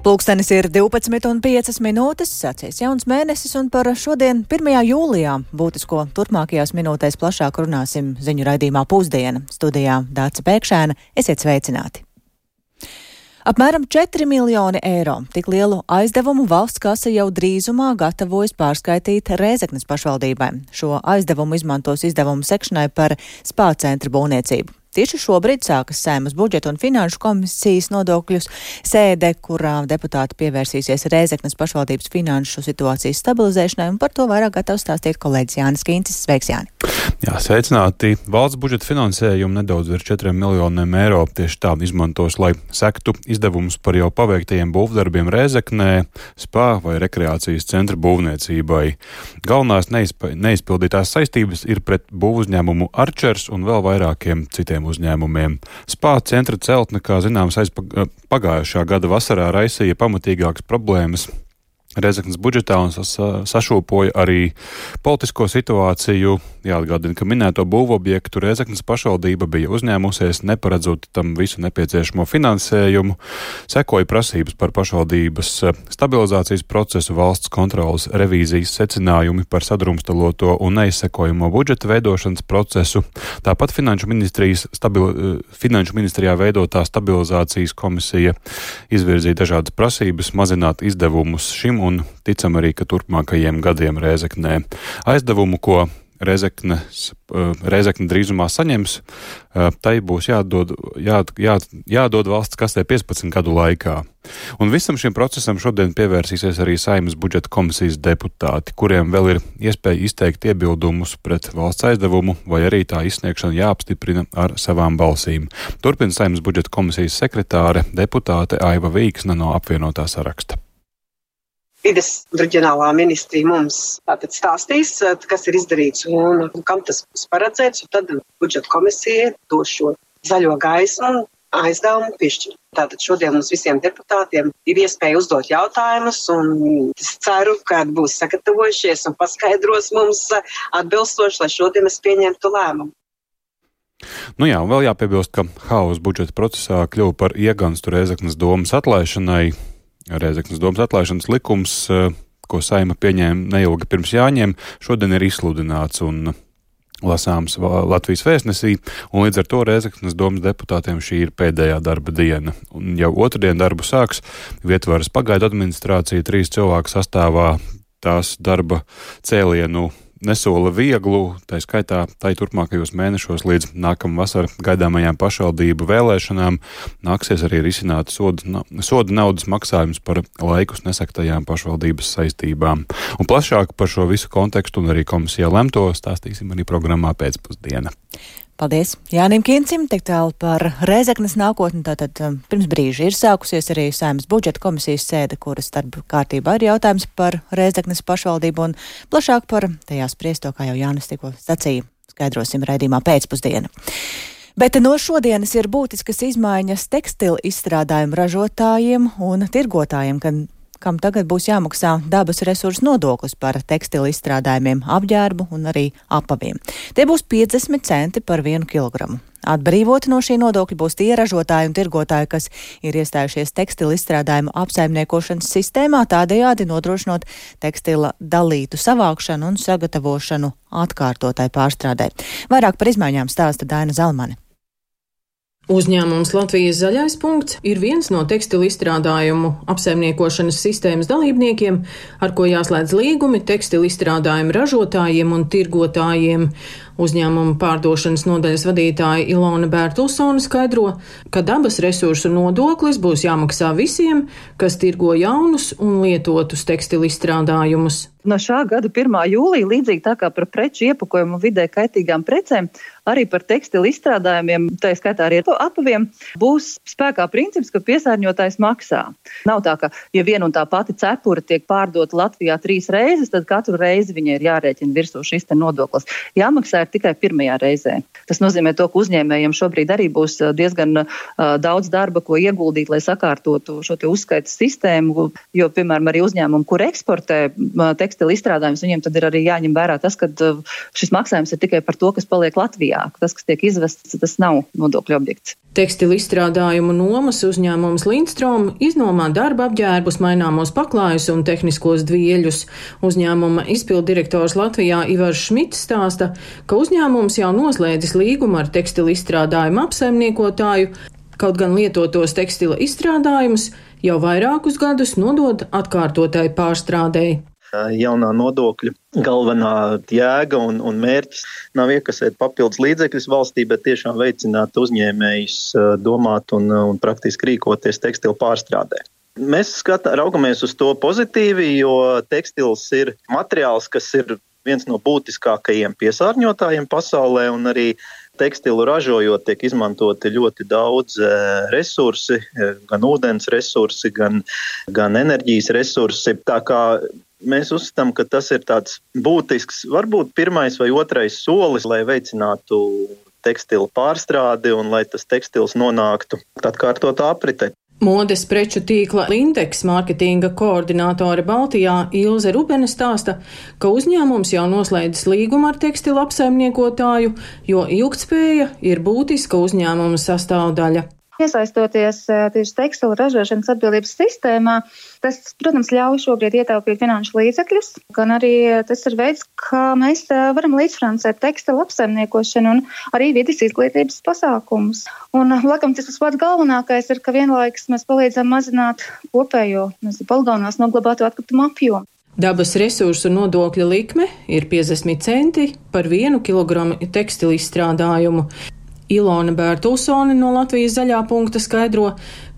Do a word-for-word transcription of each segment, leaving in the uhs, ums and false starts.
Pulkstenis ir divpadsmit un piecas minūtes, sācies jauns mēnesis, un par šodien, pirmajā jūlijā, būtisko turpmākajās minūtēs plašāk runāsim ziņu raidījumā Pusdiena. Studijā Dāca Pēkšēna, esiet sveicināti. Apmēram četri miljoni eiro. Tik lielu aizdevumu valsts kase jau drīzumā gatavojas pārskaitīt Rēzeknes pašvaldībai. Šo aizdevumu izmantos izdevumu sekšanai par spā centra būvniecību. Tieši šobrīd sākas Saeimas budžeta un finanšu komisijas nodokļus sēde, kurā deputāti pievērsīsies Rēzeknes pašvaldības finanšu situācijas stabilizēšanai, un par to vairāk gatavs stāstīt kolēģis Jānis Kīncis. Sveiks, Jāni! Jā, sveicināti! Valsts budžeta finansējumu nedaudz virs četriem miljoniem eiro tieši tā izmantos, lai sektu izdevumus par jau paveiktajiem būvdarbiem Rēzeknē, spā vai rekreācijas centra būvniecībai. Galvenās neizp- neizpildītās saistības ir pret būvuzņēmumu Arčers un vēl vairākiem citiem uzņēmumiem. Spā centra celtne, kā zināms, aiz pagājušā gada vasarā raisīja pamatīgākas problēmas Rēzeknes budžetā un sašūpoja arī politisko situāciju. Jāatgādina, ka minēto būvobjektu Rēzeknes pašvaldība bija uzņēmusies, neparedzot tam visu nepieciešamo finansējumu. Sekoja prasības par pašvaldības stabilizācijas procesu, valsts kontrolas revīzijas secinājumi par sadrumstaloto un neizsekojamo budžeta veidošanas procesu. Tāpat Finanšu ministrijas stabil, Finanšu ministrijā veidotā stabilizācijas komisija izvirzīja dažādas prasības mazināt izdevumus šim un ticam arī, ka turpmākajiem gadiem Rēzeknē. Aizdevumu, ko Rēzekne, Rēzekne drīzumā saņems, tai būs jādod, jā, jā, jādod valsts kastē piecpadsmit gadu laikā. Un visam šim procesam šodien pievērsīsies arī Saeimas budžeta komisijas deputāti, kuriem vēl ir iespēja izteikt iebildumus pret valsts aizdevumu, vai arī tā izsniegšana jāapstiprina ar savām balsīm. Turpina Saeimas budžeta komisijas sekretāre, deputāte Aiva Vīksne no apvienotā saraksta. Vides reģionālā ministrija mums tātad stāstīs, kas ir izdarīts un kam tas būs paredzēts, un tad budžeta komisija dos šo zaļo gaismu aizdevumu piešķirt. Tātad šodien mums visiem deputātiem ir iespēja uzdot jautājumus, un es ceru, ka būs sagatavojušies un paskaidros mums atbilstoši, lai šodien mēs pieņemtu lēmumu. Nu jā, un vēl jāpiebilst, ka haoss budžeta procesā kļuva par ieganstu Rēzeknes domas atlaišanai. Rēzeknes domas atlaišanas likums, ko Saeima pieņēma neilgi pirms Jāņiem, šodien ir izsludināts un lasāms Latvijas vēstnesī, un līdz ar to Rēzeknes domas deputātiem šī ir pēdējā darba diena. Un jau otrdien darbu sāks Vietvaras pagaidu administrācija, trīs cilvēku sastāvā. Tās darba cēlienu nesola vieglu, tā skaitā tai turpmākajos mēnešos līdz nākamā vasara gaidāmajām pašvaldību vēlēšanām nāksies arī risināt soda, soda naudas maksājumus par laikus nesaktajām pašvaldības saistībām. Un plašāk par šo visu kontekstu un arī komisijā lemto stāstīsim arī programmā Pēcpusdiena. Paldies Jānim Kīncim, tik tālu par Rēzeknes nākotni. Tātad pirms brīža ir sākusies arī Saeimas budžeta komisijas sēde, kuras starp kārtībā ir jautājums par Rēzeknes pašvaldību, un plašāk par tajā spriesto, kā jau Jānis tikko sacīja, skaidrosim raidījumā Pēcpusdiena. Bet no šodienas ir būtiskas izmaiņas tekstilu izstrādājumu ražotājiem un tirgotājiem, kad kam tagad būs jāmaksā dabas resursu nodoklis par tekstilu izstrādājumiem, apģērbu un arī apaviem. Tie būs piecdesmit centi par vienu kilogramu. Atbrīvoti no šī nodokļa būs tie ražotāji un tirgotāji, kas ir iestājušies tekstilu izstrādājumu apsaimniekošanas sistēmā, tādējādi nodrošinot tekstila dalītu savākšanu un sagatavošanu atkārtotai pārstrādē. Vairāk par izmaiņām stāsta Daina Zalmane. Uzņēmums Latvijas zaļais punkts ir viens no tekstilu izstrādājumu apsaimniekošanas sistēmas dalībniekiem, ar ko jāslēdz līgumi tekstilu izstrādājumu ražotājiem un tirgotājiem. Uzņēmuma pārdošanas nodaļas vadītāja Ilona Bērtulsone skaidro, ka dabas resursu nodoklis būs jāmaksā visiem, kas tirgo jaunus un lietotus tekstilu izstrādājumus. No šā gada pirmā jūlija, līdzīgi tā kā par preču iepakojumu vidē kaitīgām precēm, arī par tekstilu izstrādājumiem, tā skaitā arī apaviem, būs spēkā princips, ka piesārņotājs maksā. Nav tā, ka ja viena un tā pati cepura tiek pārdota Latvijā trīs reizes, tad katru reizi viņai ir jārēķina virsū šis te nodoklis. Jāmaksā ir tikai pirmajā reizē. Tas nozīmē to, ka uzņēmējiem šobrīd arī būs diezgan uh, daudz darba, ko ieguldīt, lai sakārtotu šo te uzskaitas sistēmu, jo, piemēram, arī uzņēmumi, kur eksportē uh, tekstilu izstrādājumus, viņiem tad ir arī jāņem vērā tas, ka uh, šis maksājums ir tikai par to, kas paliek Latvijā. Latvijā. Tas, kas tiek izvests, tas nav nodokļu objekts. Tekstilu izstrādājumu nomas uzņēmums Lindstrom iznomā darba apģērbus, maināmos paklājus un tehniskos dvieļus. Uzņēmuma izpilddirektors Latvijā Ivars Šmits stāsta, ka uzņēmums jau noslēdzis līgumu ar tekstilu izstrādājumu apsaimniekotāju, kaut gan lietotos tekstila izstrādājumus jau vairākus gadus nodod atkārtotai pārstrādēji. Jaunā nodokļa galvenā jēga un, un mērķis nav iekasēt papildus līdzekļus valstī, bet tiešām veicināt uzņēmējus domāt un, un praktiski rīkoties tekstilu pārstrādē. Mēs skatā, raugamies uz to pozitīvi, jo tekstils ir materiāls, kas ir viens no būtiskākajiem piesārņotājiem pasaulē, un arī tekstilu ražojot tiek izmantoti ļoti daudz resursi, gan ūdens resursi, gan, gan enerģijas resursi. Tā kā mēs uzskatām, ka tas ir tāds būtisks, varbūt pirmais vai otrais solis, lai veicinātu tekstilu pārstrādi un lai tas tekstils nonāktu atkārtotā apritē. Modes preču tīkla Lindex mārketinga koordinātore Baltijā Ilze Rubene stāsta, ka uzņēmums jau noslēdzis līgumu ar tekstilu apsaimniekotāju, jo ilgtspēja ir būtiska uzņēmuma sastāvdaļa. Iesaistoties tieši tekstilu ražošanas atbildības sistēmā, tas, protams, ļauj šobrīd ietaupīt finanšu līdzekļus, gan arī tas ir veids, kā mēs varam līdzfinansēt tekstilu apsaimniekošanu un arī vides izglītības pasākumus. Un, laikam, tas pats galvenākais ir, ka vienlaikus mēs palīdzam mazināt kopējo, nezinu, poligonās noglabāto atkritumu apjomu. Dabas resursu nodokļa likme ir piecdesmit centi par vienu kilogramu tekstilu izstrādājumu. Ilona Bērtulsone no Latvijas zaļā punkta skaidro,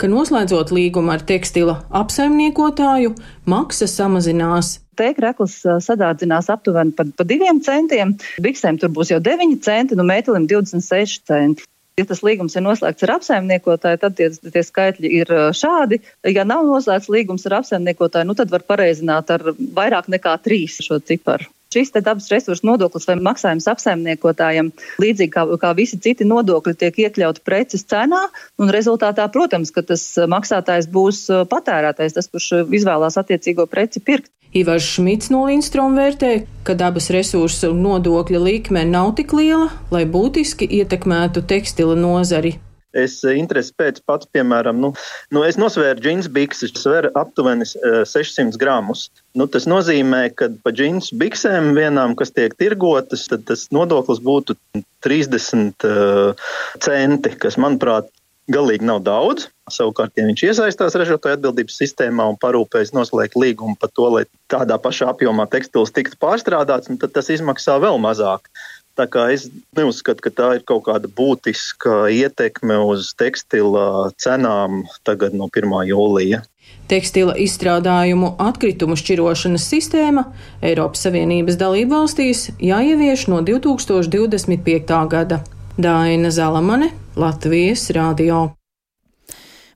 ka noslēdzot līgumu ar tekstila apsaimniekotāju, maksa samazinās. Tēkrekls sadārdzinās aptuveni par pa diviem centiem, biksēm tur būs jau deviņi centi, nu mētelim divdesmit seši centi. Ja tas līgums ir noslēgts ar apsaimniekotāju, tad tie, tie skaitļi ir šādi. Ja nav noslēgts līgums ar apsaimniekotāju, nu tad var pareizināt ar vairāk nekā trīs šo ciparu. Šis te dabas resursu nodoklis vai maksājums apsaimniekotājiem, līdzīgi kā, kā visi citi nodokļi, tiek iekļauti preces cenā, un rezultātā, protams, ka tas maksātājs būs patērētājs, tas, kurš izvēlās attiecīgo preci pirkt. Ivars Šmits no Lindstrom vērtē, ka dabas resursu nodokļa likme nav tik liela, lai būtiski ietekmētu tekstila nozari. Es interesi pēc pats, piemēram, nu, nu es nosvēru džins bikses, sver aptuveni sešsimt gramus. Nu, tas nozīmē, ka pa džins biksēm vienām, kas tiek tirgotas, tad tas nodoklis būtu trīsdesmit uh, centi, kas, manuprāt, galīgi nav daudz. Savukārt, ja viņš iesaistās ražotāju atbildības sistēmā un parūpējas noslēgt līgumu par to, lai tādā pašā apjomā tekstils tiktu pārstrādāts, tad tas izmaksā vēl mazāk. Tā kā es neuzskatu, ka tā ir kaut kāda būtiska ietekme uz tekstila cenām tagad no pirmā jūlija. Tekstila izstrādājumu atkritumu šķirošanas sistēma Eiropas Savienības dalībvalstīs jāievieš no divi tūkstoši divdesmit piektā gada. Daina Zalamane, Latvijas radio.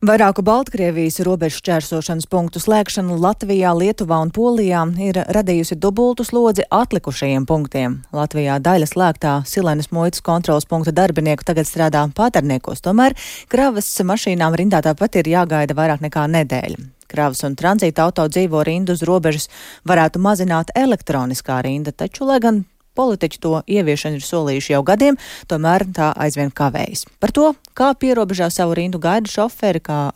Vairāku Baltkrievijas robežu šķērsošanas punktu slēgšana Latvijā, Lietuvā un Polijā ir radījusi dubultu slodzi atlikušajiem punktiem. Latvijā daļa slēgtā Silenes muitas kontrolas punkta darbinieku tagad strādā Pāterniekos, tomēr kravas mašīnām rindā tāpat ir jāgaida vairāk nekā nedēļa. Kravas un tranzīta auto dzīvo rindu uz robežas varētu mazināt elektroniskā rinda, taču, lai gan politiķi to ieviešanu ir solījuši jau gadiem, tomēr tā aizvien kavējas. Par to, kā pierobežā savu rindu gaida šoferi, kā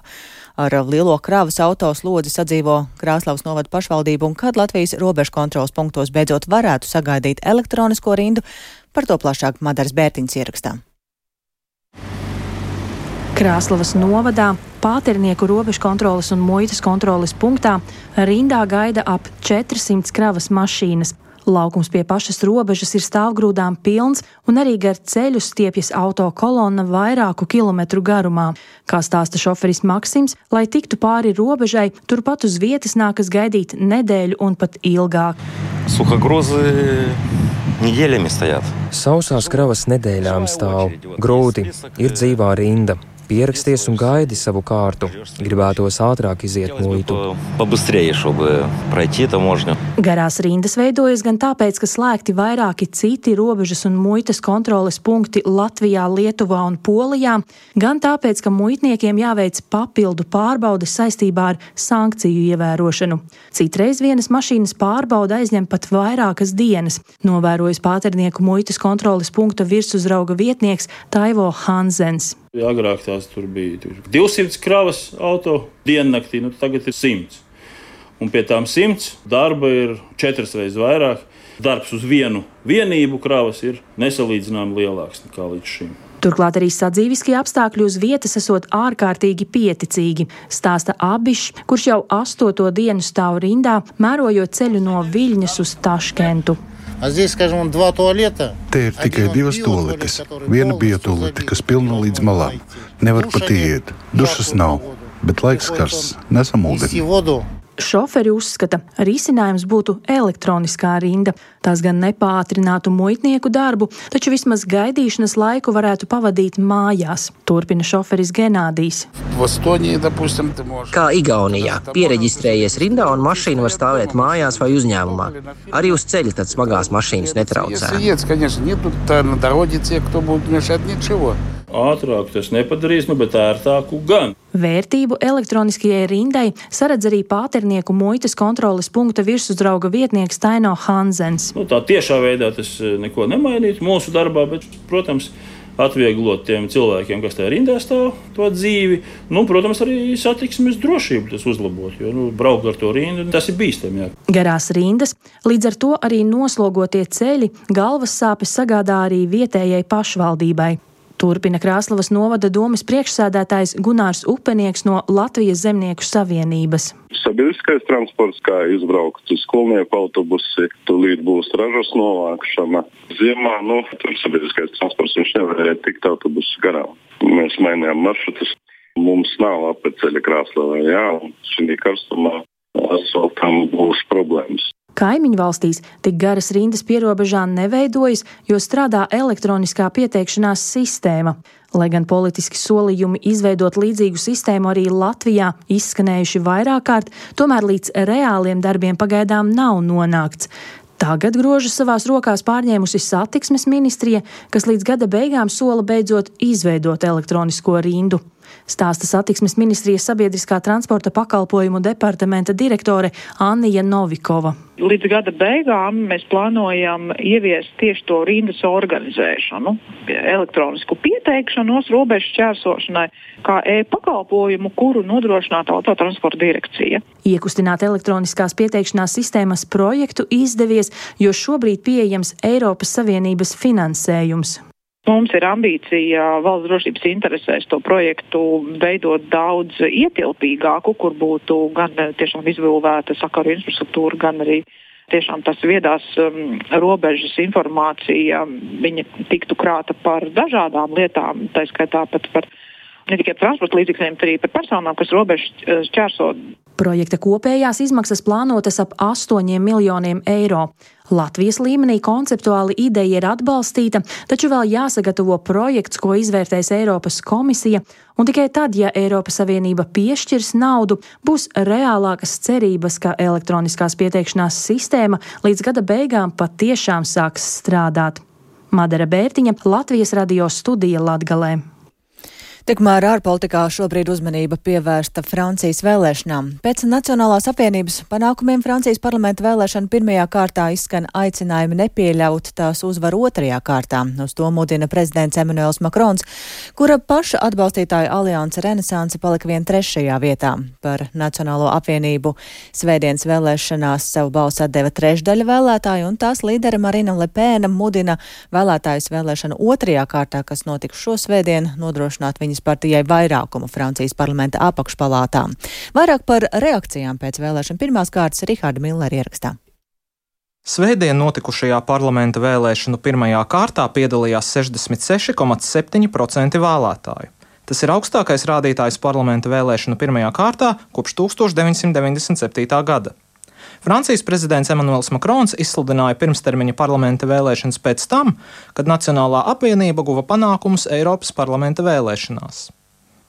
ar lielo kravas auto slodzi sadzīvo Krāslavas novada pašvaldību un kad Latvijas robežu kontrolas punktos beidzot varētu sagaidīt elektronisko rindu, par to plašāk Madaras Bērtiņas ierakstā. Krāslavas novadā Pāternieku robežu kontroles un muitas kontroles punktā rindā gaida ap četrsimt kravas mašīnas. Laukums pie pašas robežas ir stāvgrūdām pilns un arī gar ceļu stiepjas auto kolonna vairāku kilometru garumā. Kā stāsta šoferis Maksims, lai tiktu pāri robežai, turpat uz vietas nākas gaidīt nedēļu un pat ilgāk. Suhagruzi nedēļami stāvēt. Sausās kravas nedēļām stāv. Grūti, ir dzīvā rinda. pieraksties un gaidi savu kārtu. Gribētos ātrāk iziet muitu. Garās rindas veidojas gan tāpēc, ka slēgti vairāki citi robežas un muitas kontroles punkti Latvijā, Lietuvā un Polijā, gan tāpēc, ka muitniekiem jāveic papildu pārbaudes saistībā ar sankciju ievērošanu. Citreiz vienas mašīnas pārbauda aizņem pat vairākas dienas, novērojas Pāternieku muitas kontroles punkta virsuzrauga vietnieks Taivo Hansens. Agrāk tās tur bija divsimt kravas auto diennaktī, nu tagad ir simts. Un pie tām simts darba ir četras reizes vairāk. Darbs uz vienu vienību kravas ir nesalīdzināmi lielāks nekā līdz šim. Turklāt arī sadzīviskie apstākļi uz vietas esot ārkārtīgi pieticīgi, stāsta Abišs, kurš jau astoto dienu stāv rindā, mērojot ceļu no Viļņas uz Taškentu. Te ir tikai divas tualetes. Viena biotualete, kas pilna līdz malām. Nevar pat iet. Dušas nav, bet laiks karsts. Nesam ūdeni. Šoferi uzskata, risinājums būtu elektroniskā rinda. Tās gan nepātrinātu muitnieku darbu, taču vismaz gaidīšanas laiku varētu pavadīt mājās, turpina šoferis Genādijs. Kā Igaunijā, piereģistrējies rindā un mašīna var stāvēt mājās vai uzņēmumā. Arī uz ceļa tad smagās mašīnas netraucē. Ātrāk tas nepadarīs, nu, bet ērtāku gan. Vērtību elektroniskajai rindai saredz arī Pāternieku muitas kontroles punkta virsuzrauga vietnieks Taino Hansens. Nu, tā tiešā veidā tas neko nemainītu mūsu darbā, bet, protams, atvieglot tiem cilvēkiem, kas tajā rindā stāv, to dzīvi. Nu, protams, arī satiksmes drošību tas uzlabot, jo nu, braukt ar to rindu, tas ir bīstami. Jā. Garās rindas, līdz ar to arī noslogotie ceļi, galvas sāpes sagādā arī vietējai pašvaldībai. Turpina Krāslavas novada domes priekšsēdētājs Gunārs Upenieks no Latvijas zemnieku savienības. Sabiedriskais transports, kā izbraukt uz skolnieku autobusi, tūlīt būs ražas novākšana. Ziemā, nu, tur sabiedriskais transports viņš nevarēja tikt autobusu garām. Mēs mainījām maršrutus. Mums nav apceļa Krāslavā, jā, un šī karstumā asfaltam būs problēmas. Kaimiņu valstīs tik garas rindas pierobežā neveidojas, jo strādā elektroniskā pieteikšanās sistēma. Lai gan politiski solījumi izveidot līdzīgu sistēmu arī Latvijā izskanējuši vairāk kārt, tomēr līdz reāliem darbiem pagaidām nav nonākts. Tagad grožas savās rokās pārņēmusi satiksmes ministrija, kas līdz gada beigām sola beidzot izveidot elektronisko rindu. Stāsta satiksmes ministrijas sabiedriskā transporta pakalpojumu departamenta direktore Annija Novikova. Līdz gada beigām mēs plānojam ieviest tieši to rindas organizēšanu, elektronisku pieteikšanos robežu šķērsošanai, kā e-pakalpojumu, kuru nodrošinātu autotransporta direkcija. Iekustināt elektroniskās pieteikšanās sistēmas projektu izdevies, jo šobrīd pieejams Eiropas Savienības finansējums. Mums ir ambīcija valsts drošības interesēs to projektu veidot daudz ietilpīgāku, kur būtu gan tiešām izbūvēta sakaru infrastruktūra, gan arī tiešām tas viedās um, robežas informācija, viņa tiktu krāta par dažādām lietām, tā skaitā pat par ne tikai transporta līdzekļiem, bet arī par personām, kas robežu šķērso. Projekta kopējās izmaksas plānotas ap astoņiem miljoniem eiro. Latvijas līmenī konceptuāli ideja ir atbalstīta, taču vēl jāsagatavo projekts, ko izvērtēs Eiropas komisija, un tikai tad, ja Eiropas Savienība piešķirs naudu, būs reālākas cerības, ka elektroniskās pieteikšanās sistēma līdz gada beigām patiešām sāks strādāt. Madara Bērtiņa, Latvijas radio studija Latgalē. Tikmēr ārpolitikā šobrīd uzmanība pievērsta Francijas vēlēšanām. Pēc Nacionālās apvienības panākumiem Francijas parlamenta vēlēšana pirmajā kārtā izskan aicinājumi nepieļaut tās uzvaru otrajā kārtā. Uz to mudina prezidents Emmanuels Macrons, kura paša atbalstītāja alianse Renesanse palika vien trešajā vietā. Par Nacionālo apvienību svētdienas vēlēšanās savu balsu atdeva trešdaļa vēlētāju, un tās līdere Marina Le Pen mudina vēlētājus vēlēšanu otrajā kārtā, kas notiks šo svētdien, nodrošināt viņas partijai vairākumu Francijas parlamenta apakšpalātā. Vairāk par reakcijām pēc vēlēšana pirmās kārtas Riharda Millera ierakstā. Svētdien notikušajā parlamenta vēlēšanu pirmajā kārtā piedalījās sešdesmit seši komats septiņi procenti vēlētāju. Tas ir augstākais rādītājs parlamenta vēlēšanu pirmajā kārtā kopš tūkstoš deviņsimt deviņdesmit septītā gada. Francijas prezidents Emmanuels Macrons izsludināja pirmstermiņa parlamenta vēlēšanas pēc tam, kad Nacionālā apvienība guva panākumus Eiropas parlamenta vēlēšanās.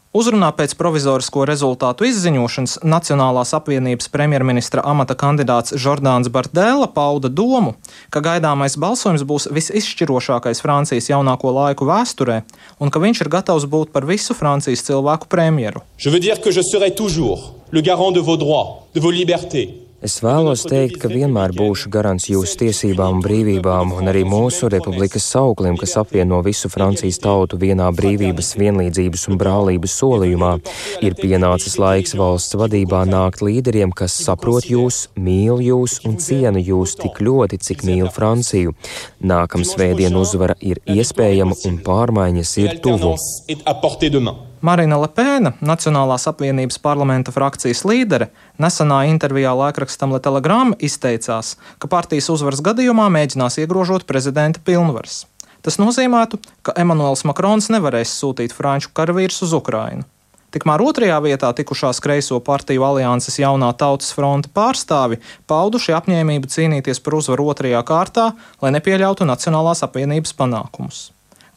Uzrunā pēc provizorisko rezultātu izziņošanas Nacionālās apvienības premjerministra amata kandidāts Žordāns Bardēla pauda domu, ka gaidāmais balsojums būs visizšķirošākais Francijas jaunāko laiku vēsturē un ka viņš ir gatavs būt par visu Francijas cilvēku premjeru. Je veux dire que je serai toujours le garant de vos droits, de vos libertés. Es vēlos teikt, ka vienmēr būšu garants jūsu tiesībām un brīvībām un arī mūsu republikas sauklim, kas apvieno visu Francijas tautu vienā brīvības, vienlīdzības un brālības solījumā. Ir pienācis laiks valsts vadībā nākt līderiem, kas saprot jūs, mīl jūs un ciena jūs tik ļoti, cik mīl Franciju. Nākam svētdien uzvara ir iespējama un pārmaiņas ir tuvu. Marina Le Pena, Nacionālās apvienības parlamenta frakcijas līdere, nesenā intervijā laikrakstam Le Telegram izteicās, ka partijas uzvaras gadījumā mēģinās iegrožot prezidenta pilnvaras. Tas nozīmētu, ka Emanuels Makrons nevarēs sūtīt franču karavīrus uz Ukrainu. Tikmēr otrajā vietā tikušās kreiso partiju alianses Jaunā tautas fronte pārstāvi pauduši apņēmību cīnīties par uzvaru otrajā kārtā, lai nepieļautu Nacionālās apvienības panākumus.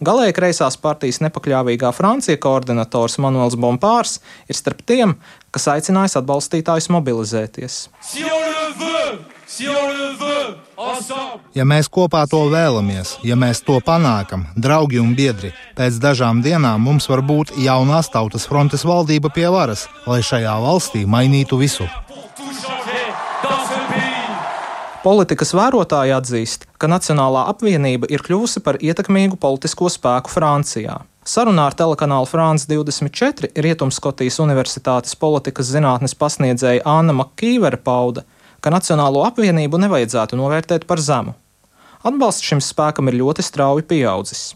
Galēji kreisās partijas nepakļāvīgā Francija koordinators Manuels Bompārs ir starp tiem, kas aicinājis atbalstītājus mobilizēties. Ja mēs kopā to vēlamies, ja mēs to panākam, draugi un biedri, pēc dažām dienām mums var būt Jaunās tautas frontes valdība pie varas, lai šajā valstī mainītu visu. Politikas vērotāji atzīst, ka Nacionālā apvienība ir kļuvusi par ietekmīgu politisko spēku Francijā. Sarunā ar telekanālu France divdesmit četri Rietumskotijas Universitātes politikas zinātnes pasniedzēja Anna Makīvere pauda, ka Nacionālo apvienību nevajadzētu novērtēt par zemu. Atbalsts šim spēkam ir ļoti strauji pieaudzis.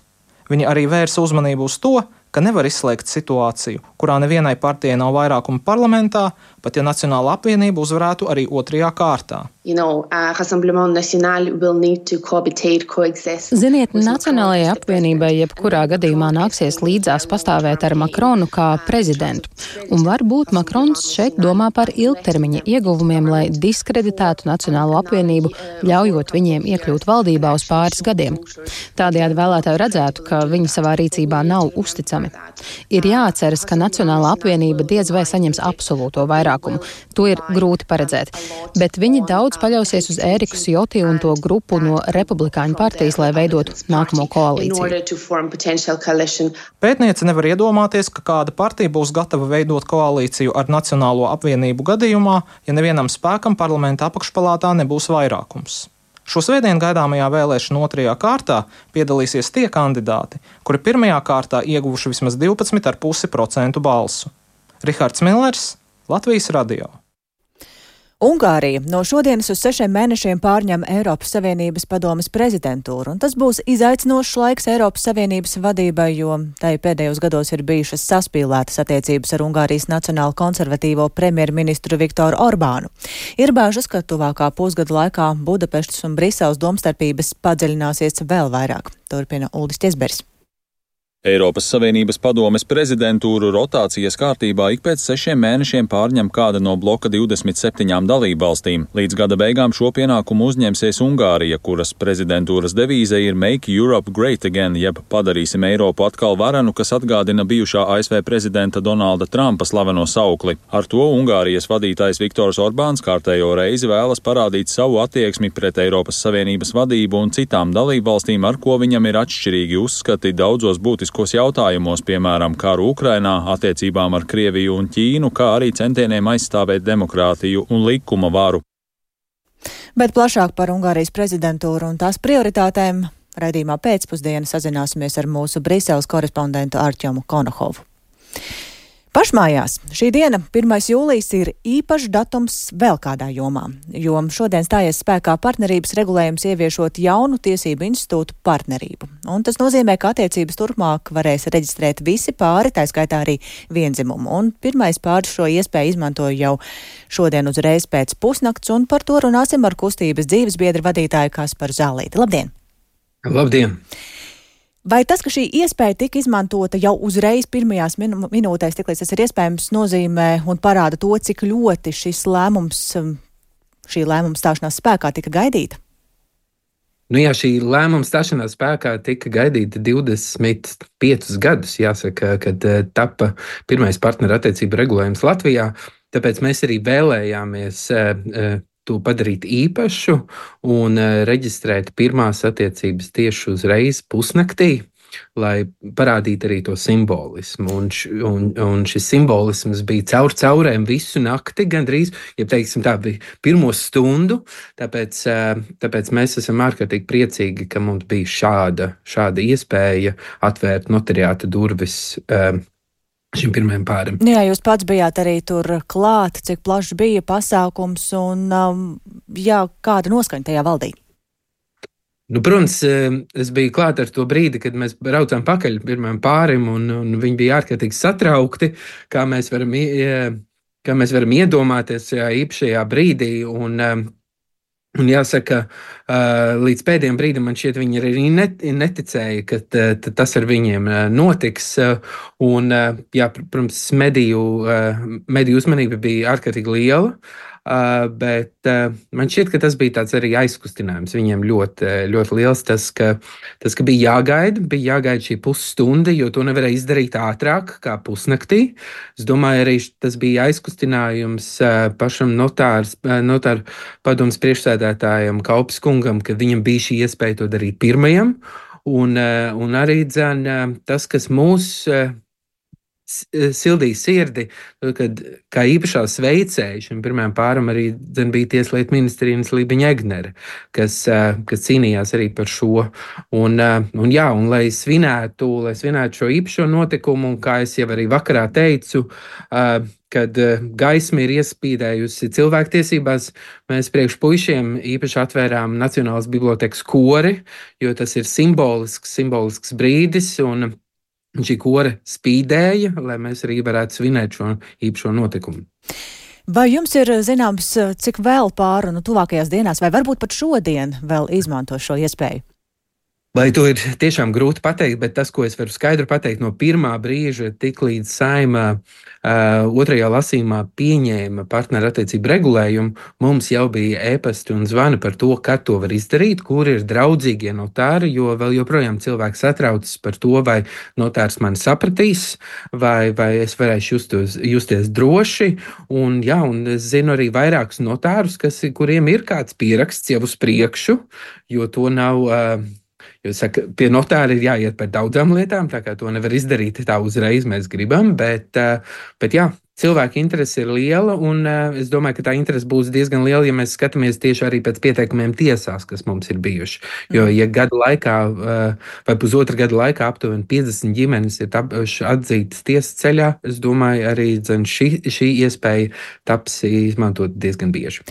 Viņi arī vērsa uzmanību uz to, ka nevar izslēgt situāciju, kurā nevienai partijai nav vairākuma parlamentā, pat ja Nacionāla apvienība uzvarētu arī otrajā kārtā. You know, uh, Rassemblement National will need to cohabitate, coexist. Ziniet, Nacionālajai apvienībai jebkurā gadījumā nāksies līdzās pastāvēt ar Makronu kā prezidentu. Un varbūt Makrons šeit domā par ilgtermiņa ieguvumiem, lai diskreditētu Nacionālo apvienību, ļaujot viņiem iekļūt valdībā uz pāris gadiem. Tādējādi vēlētāji redzētu, ka viņi savā rīcībā nav uzticami. Ir jāatceras, ka Nacionālā apvienība diez vai saņems absolūto vairākumu. To ir grūti paredzēt. Bet viņi daudz paļausies uz Ēriku Sjoti un to grupu no Republikāņu partijas, lai veidotu nākamo koalīciju. Pētniece nevar iedomāties, ka kāda partija būs gatava veidot koalīciju ar Nacionālo apvienību gadījumā, ja nevienam spēkam parlamenta apakšpalātā nebūs vairākums. Šo svētdienu gaidāmajā vēlēšanu otrajā kārtā piedalīsies tie kandidāti, kuri pirmajā kārtā ieguvuši vismaz divpadsmit komats pieci procenti balsu. Rihards Millers, Latvijas radio. Ungārija no šodienas uz sešiem mēnešiem pārņem Eiropas Savienības padomes prezidentūru, un tas būs izaicinošs laiks Eiropas Savienības vadībai, jo tai pēdējos gados ir bijušas saspīlētas attiecības ar Ungārijas nacionāli konservatīvo premjerministru Viktoru Orbānu. Ir bāžas, ka tuvākā pusgada laikā Budapeštas un Briseles domstarpības padziļināsies vēl vairāk. Turpina Uldis Ķesberis. Eiropas Savienības padomes prezidentūru rotācijas kārtībā ik pēc sešiem mēnešiem pārņem kāda no bloka divdesmit septiņām dalībvalstīm. Līdz gada beigām šo pienākumu uzņemsies Ungārija, kuras prezidentūras devīze ir Make Europe Great Again, jeb padarīsim Eiropu atkal varenu, kas atgādina bijušā A S V prezidenta Donalda Trumpa slaveno saukli. Ar to Ungārijas vadītājs Viktors Orbāns kārtējo reizi vēlas parādīt savu attieksmi pret Eiropas Savienības vadību un citām dalībvalstīm, ar ko viņam ir atšķirīgi uzskati daudzos būtiskos jautājumos, piemēram, karu Ukrainā, attiecībām ar Krieviju un Ķīnu, kā arī centieniem aizstāvēt demokrātiju un likuma varu. Bet plašāk par Ungārijas prezidentūru un tās prioritātēm raidījumā pēcpusdienā sazināsimies ar mūsu Briseles korespondentu Artjomu Konohovu. Pašmājās šī diena, pirmais jūlijas, ir īpašs datums vēl kādā jomā, jo šodien stājies spēkā partnerības regulējums ieviešot jaunu tiesību institūtu partnerību. Un tas nozīmē, ka attiecības turpmāk varēs reģistrēt visi pāri, tā skaitā arī viendzimumu. Un pirmais pāris šo iespēju izmantoja jau šodien uzreiz pēc pusnakts, un par to runāsim ar kustības dzīvesbiedra vadītāju Kasparu Zālīti. Labdien! Labdien! Vai tas, ka šī iespēja tika izmantota jau uzreiz pirmajās minu, minūtēs, tiklīdz tas ir iespējams, nozīmē un parāda to, cik ļoti šis lēmums, šī lēmuma stāšanās spēkā tika gaidīta? Nu, jā, šī lēmuma stāšanās spēkā tika gaidīta divdesmit piecus gadus, jāsaka, kad tapa pirmais partnerattiecību regulējums Latvijā. Tāpēc mēs arī vēlējāmies to padarīt īpašu un reģistrēt pirmās attiecības tieši uzreiz pusnaktī, lai parādītu arī to simbolismu. Un, un, un šis simbolisms bija caur caurēm visu nakti, gandrīz, ja teiksim tā, bija pirmo stundu, tāpēc, tāpēc mēs esam ārkārtīgi priecīgi, ka mums bija šāda, šāda iespēja atvērt notariāta durvis šim pirmajam pārim. Jā, jūs pats bijāt arī tur klāt, cik plašs bija pasākums un jā, kāda noskaņa tajā valdīja? Nu, protams, es biju klāt ar to brīdi, kad mēs braucām pakaļ pirmajam pārim, un, un viņi bija ārkārtīgi satraukti, kā mēs varam, kā mēs varam iedomāties šajā īpašajā brīdī. Un, un jāsaka, līdz pēdējiem brīdim man šķiet, viņi arī neticēja, ka tas ar viņiem notiks. Un, jā, protams, mediju, mediju uzmanība bija ārkārtīgi liela. Uh, bet uh, man šķiet, ka tas bija tāds arī aizkustinājums. Viņiem ļoti, ļoti liels tas, ka, tas, ka bija jāgaida, bija jāgaida šī pusstunda, jo to nevarēja izdarīt ātrāk kā pusnaktī. Es domāju, arī tas bija aizkustinājums uh, pašam notārs, uh, notāru padomas priekšsēdētājam Kaupes kungam, ka viņam bija šī iespēja to darīt pirmajam. Un, uh, un arī dzen, uh, tas, kas mūs uh, sildīja sirdi, kad kā īpašā sveicēja šim pirmajam pāram arī dzen, bija Tieslietu ministrija Lībiņa Egnere, kas, kas cīnījās arī par šo. Un, un, jā, un lai svinētu, lai svinētu šo īpašo notikumu, un kā es jau arī vakarā teicu, kad gaisma ir iespīdējusi cilvēktiesībās, mēs priekš puišiem īpaši atvērām Nacionālās bibliotekas kori, jo tas ir simbolisks, simbolisks brīdis, un šī kore spīdēja, lai mēs arī varētu svinēt šo īpašo notikumu. Vai jums ir zināms, cik vēl pāru nu, tuvākajās dienās, vai varbūt pat šodien vēl izmanto šo iespēju? Vai to ir tiešām grūti pateikt, bet tas, ko es varu skaidri pateikt no pirmā brīža, tik līdz Saeima uh, otrajā lasījumā pieņēma partnerattiecību regulējumu, mums jau bija ēpasti un zvani par to, kad to var izdarīt, kur ir draudzīgie notāri, jo vēl joprojām cilvēks satraucas par to, vai notārs mani sapratīs, vai, vai es varēšu justos, justies droši. Un, jā, un es zinu arī vairākus notārus, kas, kuriem ir kāds pieraksts jau uz priekšu, jo to nav... Uh, Jo, saka, pie notāra ir jāiet par daudzām lietām, tā kā to nevar izdarīt tā uzreiz mēs gribam, bet, bet jā, cilvēka interese ir liela, un es domāju, ka tā interese būs diezgan liela, ja mēs skatāmies tieši arī pēc pieteikumiem tiesās, kas mums ir bijuši. Jo, ja gadu laikā vai pusotra gada laikā aptuveni piecdesmit ģimenes ir atzītas tiesas ceļā, es domāju, arī dzen, šī, šī iespēja taps izmantot diezgan bieži.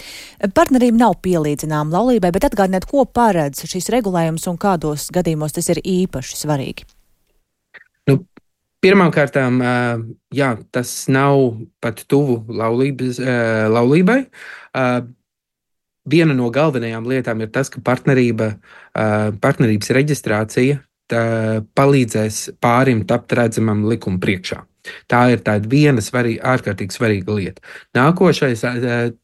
Partnerība nav pielīdzināma laulībai, bet atgādiniet, ko paredz šis regulējums un kādos gadījumos tas ir īpaši svarīgi. Nu, Pirmkārt, jā, tas nav pat tuvu laulības, laulībai. Viena no galvenajām lietām ir tas, ka partnerība, partnerības reģistrācija palīdzēs pārim tapt redzamam likuma priekšā. Tā ir tāda viena svarīga, ārkārtīgi svarīga lieta. Nākošais,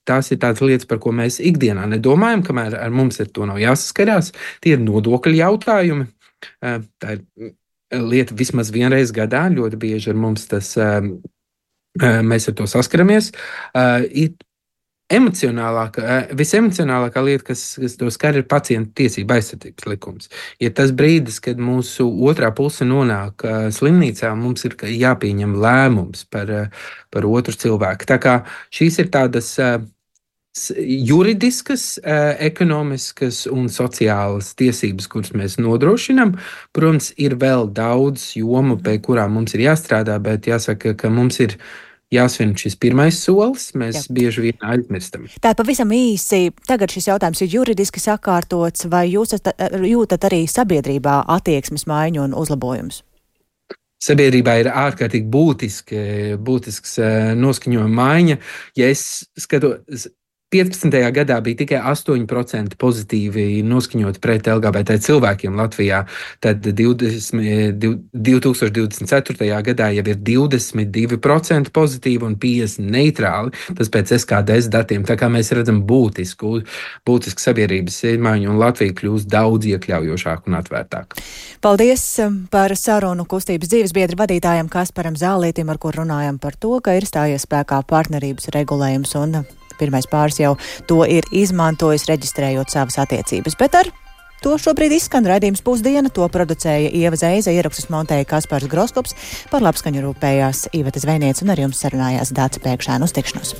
tās ir tādas lietas, par ko mēs ikdienā nedomājam, kamēr ar mums ar to nav jāsaskarās. Tie ir nodokļu jautājumi. Tā ir lieta vismaz vienreiz gadā, ļoti bieži ar mums tas, mēs ar to saskaramies. Emocionālākā, visemocionālākā lieta, kas, kas to skar, ir pacientu tiesību aizsardzības likums. Ja tas brīdis, kad mūsu otrā puse nonāk slimnīcā, mums ir jāpieņem lēmums par, par otru cilvēku. Tā kā šīs ir tādas juridiskas, ekonomiskas un sociālas tiesības, kuras mēs nodrošinām. Protams, ir vēl daudz jomu, pie kurām mums ir jāstrādā, bet jāsaka, ka mums ir jāsvin šis pirmais solis, mēs Jā. bieži vien aizmirstam. Tā pavisam īsi, tagad šis jautājums ir juridiski sakārtots, vai jūs jūtat arī sabiedrībā attieksmes maiņu un uzlabojumus? Sabiedrībā ir ārkārtīgi būtiski, būtisks noskaņojuma maiņa. Ja es skatos, piecpadsmitajā gadā bija tikai astoņi procenti pozitīvi noskaņoti pret L G B T cilvēkiem Latvijā, tad divdesmit, divtūkstoš divdesmit ceturtajā gadā jau ir divdesmit divi procenti pozitīvi un piecdesmit neitrāli, tas pēc S K D S datiem, tā kā mēs redzam būtisku, būtisku sabiedrības izmaiņu un Latvija kļūst daudz iekļaujošāk un atvērtāk. Paldies par sarunu kustības dzīvesbiedra vadītājam Kasparam Zālītim, ar kur runājam par to, ka ir stājies spēkā partnerības regulējums un pirmais pāris jau to ir izmantojis, reģistrējot savas attiecības. Bet ar to šobrīd izskan raidījums Pusdiena, to producēja Ieva Zeize, ierakstus montēja Kaspars Groskops, par labskaņu rūpējās Iveta Zvejniece un ar jums sarunājās Dāca Pēkšēna. Uz tikšanos!